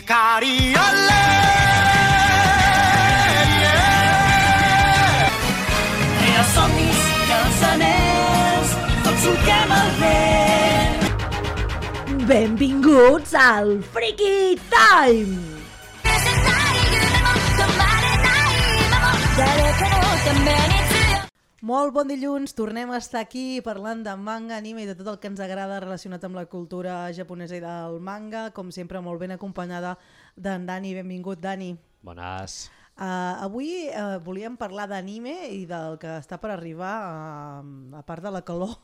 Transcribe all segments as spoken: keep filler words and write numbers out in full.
Hikari ole, yeah. Rere somnis, cançoners, tots solquem el vent. Benvinguts al Freaky Time! Molt bon dilluns, tornem a estar aquí parlant de manga, anime i de tot el que ens agrada relacionat amb la cultura japonesa i del manga, com sempre molt ben acompanyada d'en Dani. Benvingut, Dani. Bones. Uh, avui uh, volíem parlar d'anime i del que està per arribar, uh, a part de la calor.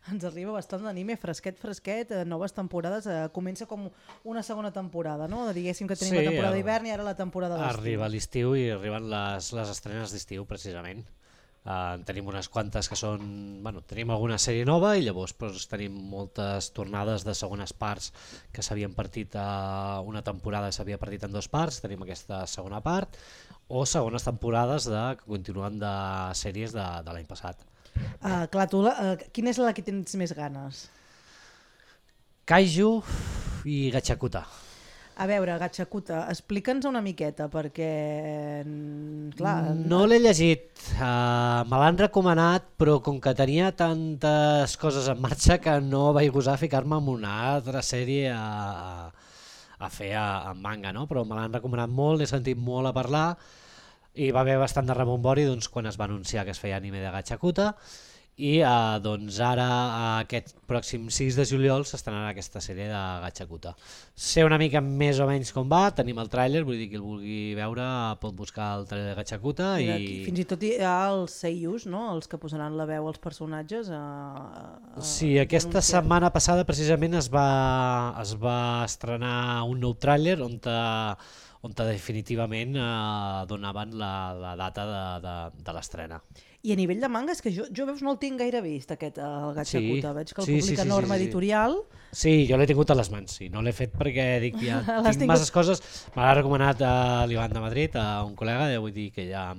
Ens arriba bastant d'anime, fresquet, fresquet, eh, noves temporades, eh, comença com una segona temporada, no? Diguéssim que tenim sí, la temporada d'hivern i ara la temporada d'estiu. Arriba l'estiu i arriben les, les estrenes d'estiu, precisament. Uh, tenim unes quantes que són... Bueno, tenim alguna sèrie nova i llavors doncs, tenim moltes tornades de segones parts que s'havien partit a una temporada, s'havia partit en dues parts, tenim aquesta segona part, o segones temporades de, que continuen de sèries de, de l'any passat. Uh, clar, tu, uh, quina és la que tens més ganes? Kaiju i Gachakuta. A veure, Gachakuta, explica'ns una miqueta, perquè... Clar, no l'he llegit, uh, me l'han recomanat, però com que tenia tantes coses en marxa que no vaig gosar ficar-me en una altra sèrie a, a fer a, a manga, no? Però me l'han recomanat molt, he sentit molt a parlar, i va haver bastant de rebombori doncs, quan es va anunciar que es feia anime de Gachakuta i eh, doncs ara aquest pròxim sis de juliol s'estrenarà aquesta sèrie de Gachakuta. Sé una mica més o menys com va, tenim el tràiler, vull dir que el vulgui veure pot buscar el tràiler de Gachakuta i... Aquí, fins i tot hi ha els seiyus, no? Els que posaran la veu als personatges. A, a, sí, aquesta anunciar. Setmana passada precisament es va, es va estrenar un nou tràiler on te, on definitivament eh, donaven la, la data de, de, de l'estrena. I a nivell de manga, és que jo, jo veus no el tinc gaire vist, aquest, el Gachakuta. Sí, Veig que el sí, publica sí, sí, Norma sí, sí. Editorial. Sí, jo l'he tingut a les mans, sí. No l'he fet perquè dic, ja tinc tingut... masses coses. Me l'ha recomanat a l'Ivan de Madrid, a un col·lega, vull dir que ja...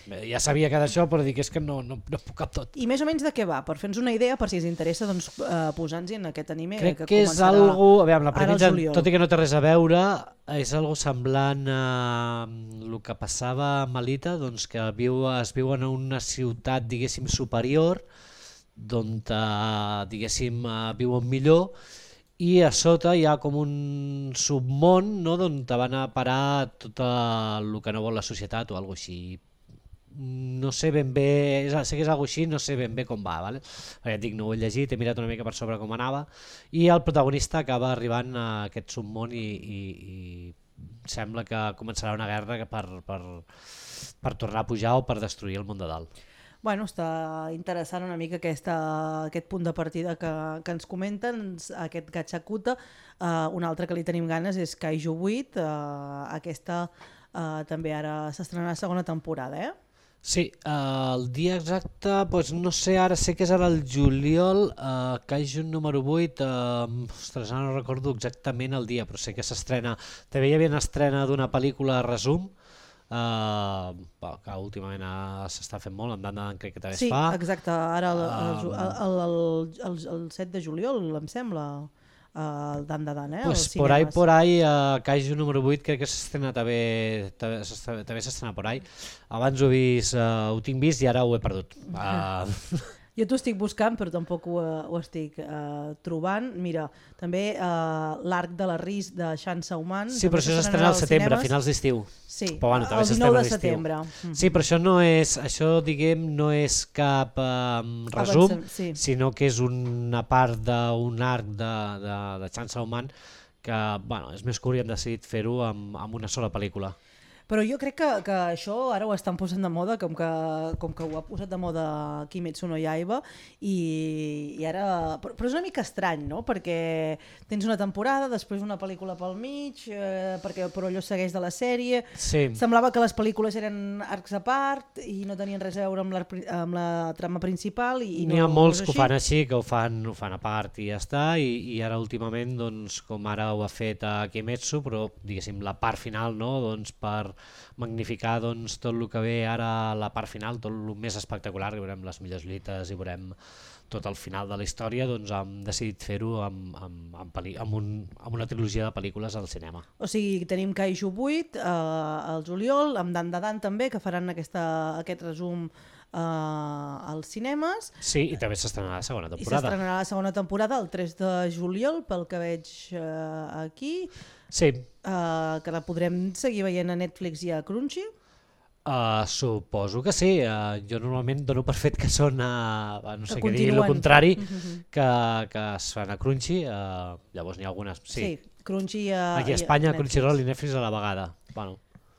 Ja sabia que d'això, però dic és que no, no, no puc cap tot. I més o menys de què va? Per fer-nos una idea, per si us interessa, doncs, eh, posar-nos en aquest anime. Crec que, que és algo, a veure, la premissa, tot i que no té res a veure, és algo semblant a el que passava a Melita, doncs que viu, es viu en una ciutat, diguéssim, superior, d'on, diguéssim, viuen millor, i a sota hi ha com un submón, no?, d'on te van a parar tot el que no vol la societat o alguna cosa així. No sé ben bé, sé que és alguna així, no sé ben bé com va, vale? Perquè et dic, no ho he llegit, he mirat una mica per sobre com anava, i el protagonista acaba arribant a aquest submón i, i, i sembla que començarà una guerra per, per, per tornar a pujar o per destruir el món de dalt. Bueno, està interessant una mica aquesta, aquest punt de partida que, que ens comenten, aquest Gachakuta. Uh, un altre que li tenim ganes és Kaiju vuit, uh, aquesta uh, també ara s'estrenarà segona temporada, eh? Sí, uh, el dia exacte, doncs no sé, ara sé que és ara el juliol, uh, Kaiju número vuit, uh, ostres, ara no recordo exactament el dia, però sé que s'estrena, també hi havia una estrena d'una pel·lícula resum, uh, que últimament uh, s'està fent molt, amb Dandan crec que també sí, es fa. Sí, exacte, ara el, el, el, el, el, el set de juliol, em sembla. Uh, Dan Dan, eh? Pues por ahí, por ahí, uh, Kaiju número vuit crec que s'estrena també, també s'estrena por ahí. Abans ho he vist, uh, ho tinc vist i ara ho he perdut. Uh... Jo t'ho estic buscant però tampoc ho, ho estic uh, trobant. Mira, també uh, l'arc de la Riz de Shan Sauman. Sí, però això s'estrena al setembre, a finals d'estiu. Sí, però, bueno, el dinou de setembre. Mm-hmm. Sí, però això no és, això diguem, no és cap um, resum, Avancem, sí. sinó que és una part d'un arc de, de, de Shan Sauman que bueno, és més curt i hem decidit fer-ho amb, amb una sola pel·lícula. Però jo crec que, que això ara ho estan posant de moda, com que, com que ho ha posat de moda Kimetsu no Yaiba, i, i ara... Però, però és una mica estrany, no? Perquè tens una temporada, després una pel·lícula pel mig, eh, perquè, però allò segueix de la sèrie. Sí. Semblava que les pel·lícules eren arcs a part i no tenien res a veure amb la, amb la trama principal. I, i N'hi no, ha molts no que ho fan així, que ho fan, ho fan a part i ja està, i, i ara últimament, doncs, com ara ho ha fet a Kimetsu, però diguéssim la part final, no? Doncs per magnificar doncs, tot el que ve ara a la part final, tot el més espectacular, que veurem les millors lluites i veurem tot el final de la història, doncs hem decidit fer-ho amb, amb, amb, peli, amb, un, amb una trilogia de pel·lícules al cinema. O sigui, tenim Kaiju vuit eh, al juliol, amb Dan de Dan també, que faran aquesta, aquest resum eh, als cinemes. Sí, i també s'estrenarà la segona temporada. I s'estrenarà la segona temporada el tres de juliol, pel que veig eh, aquí. Sí. Eh, que la podrem seguir veient a Netflix i a Crunchy. Uh, suposo que sí, uh, jo normalment dono per fet que són uh, no sé què dir, el continuen. contrari Mhm. que, que es fan a Crunchy, uh, llavors n'hi ha algunes, sí, Sí, Crunchy a, aquí a i Espanya, a Crunchyroll i Netflix a la vegada, bueno.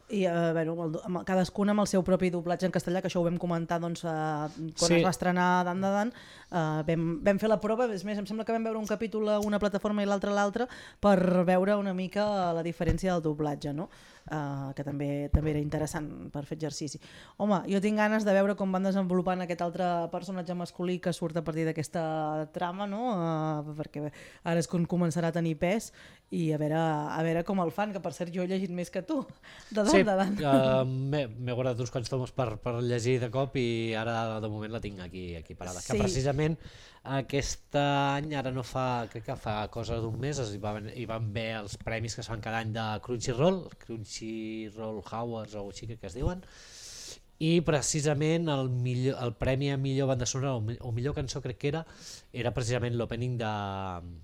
I eh, bueno, amb el, amb, cadascun amb el seu propi doblatge en castellà, que això ho vam comentar doncs, eh, quan Sí. es va estrenar Dan de Dan, eh, vam, vam fer la prova, és més, em sembla que vam veure un capítol a una plataforma i l'altre a l'altra per veure una mica la diferència del doblatge, no? Uh, que també també era interessant per fer exercici. Home, jo tinc ganes de veure com van desenvolupant aquest altre personatge masculí que surt a partir d'aquesta trama, no? Uh, perquè ara és quan començarà a tenir pes i a veure, a veure com el fan, que per cert jo he llegit més que tu, de Dan Sí, de Dan. uh, m'he guardat uns quants tomos per, per llegir de cop i ara de moment la tinc aquí, aquí parada. Sí. Que precisament aquest any, ara no fa, crec que fa cosa d'un mes, hi van, hi van haver els premis que es fan cada any de Crunchyroll, Crunchyroll Awards o així que es diuen, i precisament el, millor, el premi a millor banda sonora o, o millor cançó crec que era, era precisament l'opening de,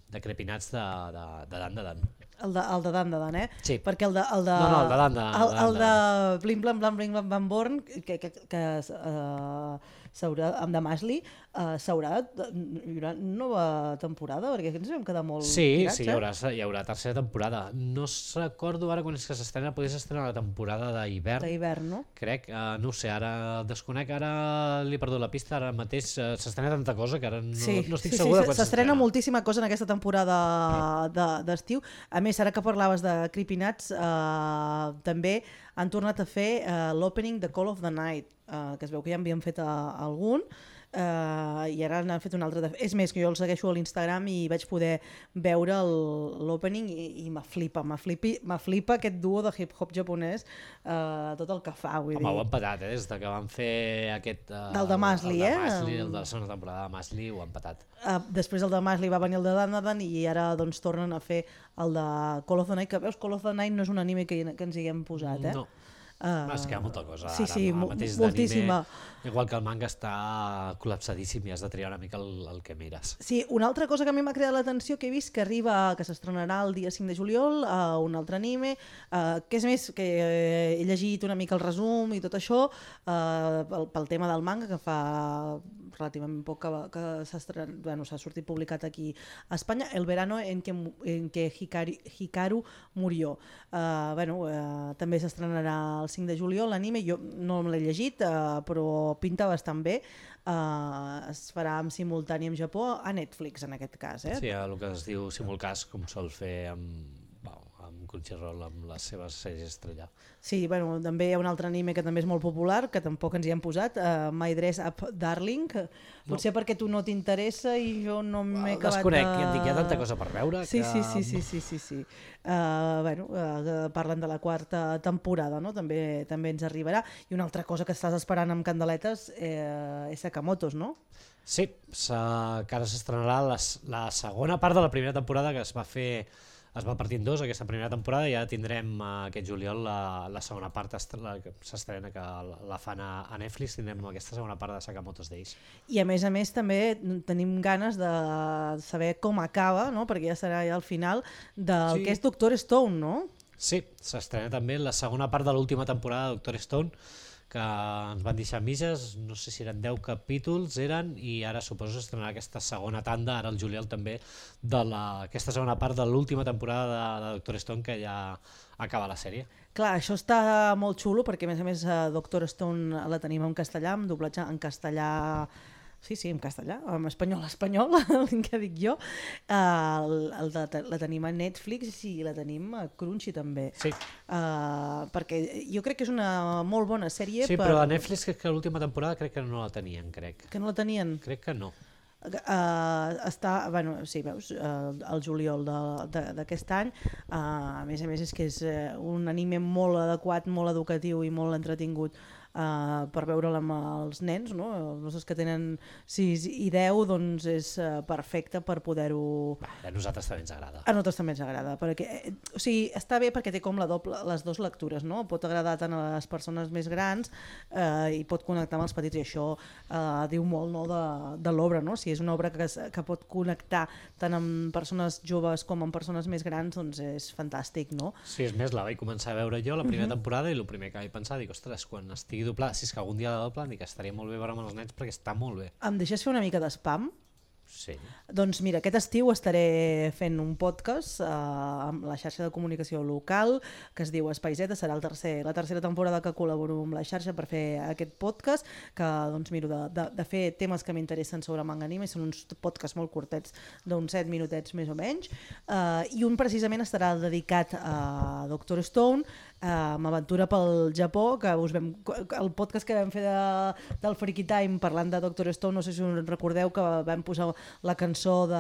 de Crepinats de, de, de Dan de Dan. El de, el de Dan de Dan, eh? Sí. Perquè el de... El de No, no, el de Dan de Dan. El, el de Blim Blam Blam Blim Blam Bam Born, que, que, que uh, s'haurà, amb de Masli, uh, s'haurà, hi haurà nova temporada, perquè ens vam quedar molt Sí, tirats, sí, hi eh? haurà, hi haurà tercera temporada. No recordo ara quan és que s'estrena, potser s'estrena la temporada d'hivern. D'hivern, no? Crec, uh, no ho sé, ara desconec, ara li he perdut la pista, ara mateix uh, s'estrena tanta cosa que ara no, Sí, no estic sí, segur sí, de quan s'estrena moltíssima cosa en aquesta temporada d'estiu. De, a més, ara que parlaves de Creepy Nuts, eh, també han tornat a fer eh, l'opening de Call of the Night, eh, que es veu que ja en havien fet a, a algun, eh, i ara n'han fet un altre. De... És més, que jo el segueixo a l'Instagram i vaig poder veure l'opening i, i m'aflipa, m'aflipa aquest duo de hip-hop japonès, eh, tot el que fa. Vull Home, dir. ho han patat, eh? Des de que van fer aquest... Uh, Del de Masli, el de eh? Masli, el de la segona temporada de Masli, ho han patat. Uh, després el de Masli va venir el de Dan de Dan i ara doncs tornen a fer el de Call of the Night, que veus, Call of the Night no és un anime que, que ens hi hem posat, eh? No. Uh, Es queda molta cosa sí, ara, sí, ara mateix moltíssima. d'anime, igual que el manga està col·lapsadíssim i has de triar una mica el, el que mires. Sí, una altra cosa que a mi m'ha cridat l'atenció que he vist que arriba, que s'estrenarà el dia cinc de juliol, uh, un altre anime, uh, que és més que he llegit una mica el resum i tot això, uh, pel, pel tema del manga, que fa relativament poc que, que s'ha bueno, sortit publicat aquí a Espanya, El verano en que, en que Hikaru, Hikaru murió. Uh, bueno, uh, també s'estrenarà el cinc de juliol l'anime, jo no l'he llegit, uh, però pinta bastant bé. Uh, es farà en simultani en Japó, a Netflix en aquest cas. Eh? Sí, el que es diu simulcast, com sol fer amb, bueno, amb Crunchyroll, amb les seves sèries estrella. Sí, bueno, també hi ha un altre anime que també és molt popular, que tampoc ens hi hem posat, uh, My Dress Up Darling, que potser no. perquè tu no t'interessa i jo no m'he acabat Desconec, de... ja et dic, hi ha tanta cosa per veure sí, que... Sí, sí, sí, sí, sí, sí. Uh, bueno, uh, parlen de la quarta temporada, no? També també ens arribarà. I una altra cosa que estàs esperant amb candeletes eh, és Sakamotos, no? Sí, que ara s'estrenarà la, la segona part de la primera temporada que es va fer, es va partir en dos aquesta primera temporada i ja tindrem uh, aquest juliol la, la segona part que s'estrena, que la fan a, a Netflix, tindrem aquesta segona part de Sakamoto's Days. I a més a més també tenim ganes de saber com acaba, no? Perquè ja serà ja al final del sí. que és Doctor Stone, no? Sí, s'estrena també la segona part de l'última temporada de Doctor Stone, que ens van deixar mitges, no sé si eren deu capítols, eren, i ara suposo que s'estrenarà aquesta segona tanda, ara el juliol també, de la, aquesta segona part de l'última temporada de, de Doctor Stone, que ja acaba la sèrie. Clar, això està molt xulo, perquè a més a més Doctor Stone la tenim en castellà, amb doblatge en castellà... Sí, sí, en castellà, en espanyol, espanyol, que dic jo. Uh, el de, la tenim a Netflix i la tenim a Crunchy també. Sí. Uh, perquè jo crec que és una molt bona sèrie. Sí, per... però a Netflix crec que l'última temporada crec que no la tenien, crec. Que no la tenien? Crec que no. Uh, està, bueno, sí, veus, uh, el juliol d'aquest any, uh, a més a més és que és uh, un anime molt adequat, molt educatiu i molt entretingut uh, per veure'l amb els nens, no? Els nostres que tenen sis i deu, doncs és uh, perfecte per poder-ho... A nosaltres també ens agrada. A nosaltres també ens agrada, perquè, eh, o sigui, està bé perquè té com la doble, les dues lectures, no? Pot agradar tant a les persones més grans eh, i pot connectar amb els petits, i això eh, diu molt, no, de, de l'obra, no? Si és una obra que, que pot connectar tant amb persones joves com amb persones més grans, doncs és fantàstic, no? Sí, és més, la vaig començar a veure jo la primera uh-huh. temporada i el primer que vaig pensar, dic, ostres, quan estigui doblada, si és que algun dia la doblen, dic, estaria molt bé veure amb els nens perquè està molt bé. Em deixes fer una mica d'espam? Sí. Doncs mira, aquest estiu estaré fent un podcast eh, amb la xarxa de comunicació local que es diu Espai Zeta, serà el tercer, la tercera temporada que col·laboro amb la xarxa per fer aquest podcast, que doncs miro de, de, de fer temes que m'interessen sobre manga anime, són uns podcasts molt curtets d'uns set minutets més o menys, eh, i un precisament estarà dedicat a Doctor Stone, eh, amb aventura pel Japó, que us vam, el podcast que vam fer de, del Freaky Time parlant de Doctor Stone, no sé si us recordeu que vam posar la cançó de,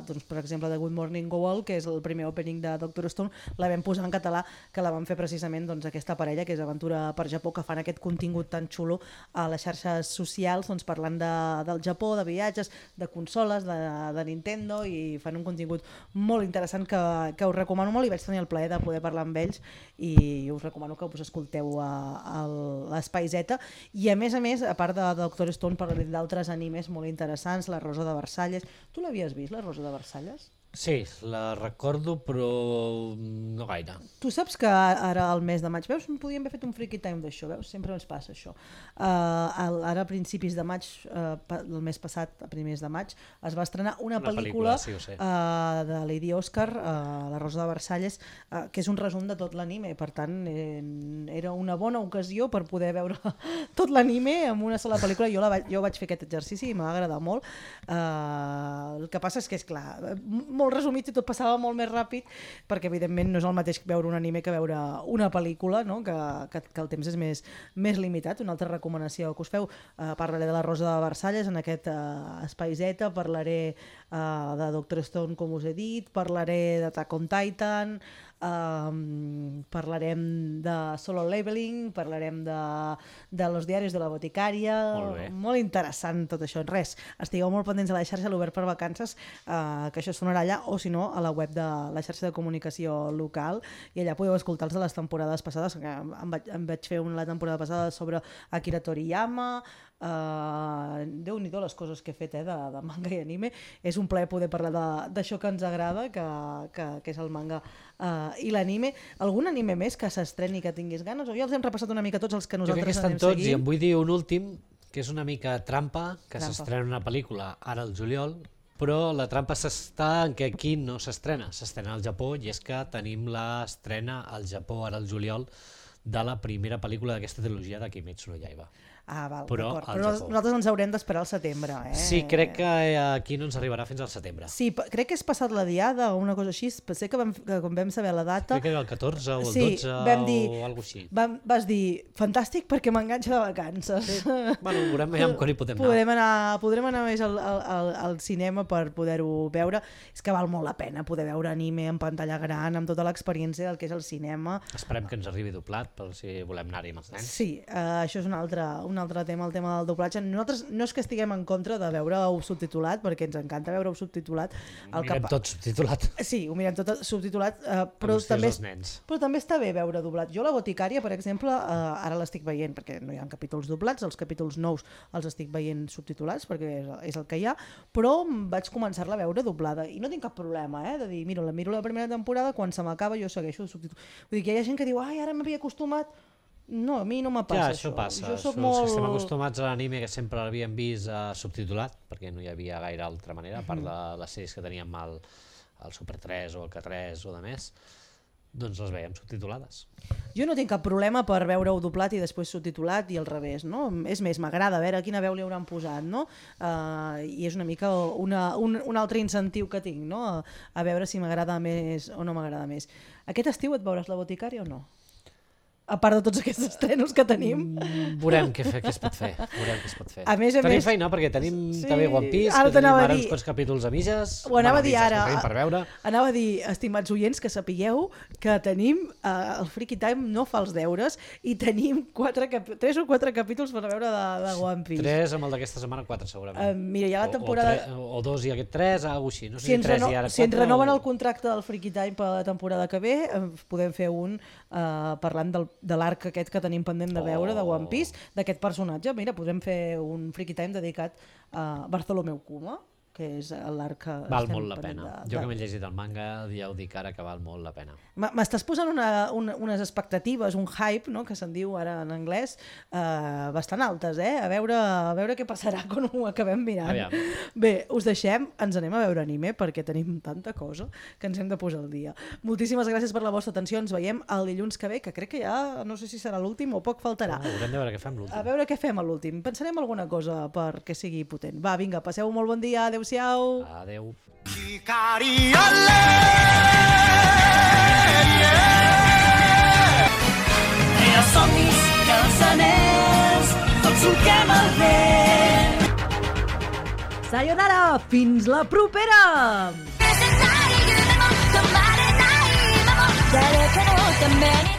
doncs, per exemple, de Good Morning Go All, que és el primer opening de Doctor Stone, la vam posar en català, que la vam fer precisament doncs, aquesta parella, que és Aventura per Japó, que fan aquest contingut tan xulo a les xarxes socials, doncs, parlant de, del Japó, de viatges, de consoles, de, de Nintendo, i fan un contingut molt interessant que, que us recomano molt, i vaig tenir el plaer de poder parlar amb ells, i us recomano que us escolteu a, a l'Espai Zeta. I a més a més, a part de Doctor Stone, parlaré d'altres animes molt interessants, La Rosa de Versalles. Tu l'havies vist, La Rosa de Versalles? Sí, la recordo, però no gaire. Tu saps que ara al mes de maig, veus, podíem haver fet un freaky time d'això, veus? Sempre ens passa això. Uh, ara a principis de maig, uh, el mes passat, a primers de maig, es va estrenar una, una pel·lícula, pel·lícula sí, uh, de Lady Oscar, uh, La Rosa de Versalles, uh, que és un resum de tot l'anime, per tant eh, era una bona ocasió per poder veure tot l'anime en una sola pel·lícula. Jo, la vaig, jo vaig fer aquest exercici i m'ha agradat molt. Uh, el que passa és que, és clar, molt resumit i tot passava molt més ràpid, perquè evidentment no és el mateix veure un anime que veure una pel·lícula, no? que, que, que el temps és més, més limitat. Una altra recomanació que us feu, uh, parlaré de La Rosa de Versalles en aquest uh, Espai Zeta, parlaré uh, de Doctor Stone, com us he dit, parlaré d'Attack on Titan, Um, parlarem de Solo Leveling, parlarem de, de Los Diarios de la Boticària, molt, molt interessant tot això. Res, estigueu molt pendents a la xarxa, l'Obert per Vacances, uh, que això sonarà allà, o si no a la web de la xarxa de comunicació local, i allà podeu escoltar els de les temporades passades, que em vaig, em vaig fer una la temporada passada sobre Akira Toriyama. Uh, Déu-n'hi-do les coses que he fet, eh, de, de manga i anime. És un plaer poder parlar d'això que ens agrada, que, que, que és el manga uh, i l'anime. Algun anime més que s'estreni que tinguis ganes? O ja els hem repassat una mica tots els que nosaltres anem seguint? Jo crec que estan tots, i em vull dir un últim, que és una mica trampa, que s'estrena una pel·lícula ara al juliol, però la trampa s'està en que aquí no s'estrena, s'estrena al Japó, i és que tenim l'estrena al Japó ara al juliol de la primera pel·lícula d'aquesta trilogia de Kimetsu no Yaiba. Ah, val, però, però nosaltres ens haurem d'esperar al setembre. Eh? Sí, crec que aquí no ens arribarà fins al setembre. Sí, crec que és passat la diada o una cosa així. Sé que, vam, que quan vam saber la data... Crec que era el catorze o el sí, dotze vam dir, o alguna cosa així. Vam, vas dir, fantàstic perquè m'enganxa de vacances. Sí. Bueno, veurem ja quan hi podem podrem anar. Podrem anar més al, al, al cinema per poder-ho veure. És que val molt la pena poder veure anime en pantalla gran, amb tota l'experiència del que és el cinema. Esperem que ens arribi doblat per si volem anar-hi amb els nens. Sí, uh, això és un altre, un altre tema, el tema del doblatge. Nosaltres no és que estiguem en contra de veure-ho subtitulat, perquè ens encanta veure-ho subtitulat. Ho mirem tot subtitulat. Sí, ho mirem tot subtitulat, uh, però, també, però també està bé veure doblat. Jo La Boticària, per exemple, uh, ara l'estic veient, perquè no hi ha capítols doblats, els capítols nous els estic veient subtitulats, perquè és, és el que hi ha, però vaig començar-la a veure doblada, i no tinc cap problema, eh, de dir, miro, la miro la primera temporada, quan se m'acaba jo segueixo el subtitulat. Vull dir que hi ha gent que diu, ai, ara m'havia acostumat. No, a mi no me passa ja, això. això passa. Jo soc Els molt... que estem acostumats a l'anime, que sempre l'havíem vist uh, subtitulat, perquè no hi havia gaire altra manera, a part de les sèries que teníem al, al Super tres o al K tres o de més, doncs les veiem subtitulades. Jo no tinc cap problema per veure-ho doblat i després subtitulat i al revés, no? És més, m'agrada veure quina veu li hauran posat, no? Uh, I és una mica una, un, un altre incentiu que tinc, no? A, a veure si m'agrada més o no m'agrada més. Aquest estiu et veuràs La Boticària o no? a part de tots aquests estrenos que tenim. Mm, veurem què, què es pot fer. Veurem què es pot fer. A més a tenim més... feina, perquè tenim sí, també One Piece, ara que tenim ara dir... uns quants capítols a mitges. Ho anava a dir mitges, ara. Per veure. Anava a dir, estimats oients, que sapigueu que tenim uh, el Freaky Time no fa els deures i tenim quatre cap... tres o quatre capítols per veure de, de One Piece. Tres amb el d'aquesta setmana, quatre segurament. Uh, mira, hi ha la temporada... O, o, tre... o dos i aquest tres, alguna així. No sé si, si tres reno... i ara quatre. Si ens renoven o... el contracte del Freaky Time per la temporada que ve, podem fer un uh, parlant del, de l'arc aquest que tenim pendent de veure, oh. de One Piece, d'aquest personatge. Mira, podem fer un Freaky Time dedicat a Bartholomew Kuma, que és l'arc que val estem molt la pena. De, jo de... que m'he llegit el manga, ja ho dic ara que val molt la pena. M'estàs posant una, una, unes expectatives, un hype, no?, que se'n diu ara en anglès, eh, bastant altes, eh? A veure, a veure què passarà quan ho acabem mirant. Aviam. Bé, us deixem, ens anem a veure anime perquè tenim tanta cosa que ens hem de posar al dia. Moltíssimes gràcies per la vostra atenció, ens veiem el dilluns que ve, que crec que ja no sé si serà l'últim o poc faltarà. Oh, haurem de veure què fem l'últim. A veure què fem a l'últim. Pensarem alguna cosa perquè sigui potent. Va, vinga, passeu un molt bon dia, adeu-siau. Adeu. Els somnis i els anells, tots solquem el vent. Sayonara, fins la propera! 誰かのために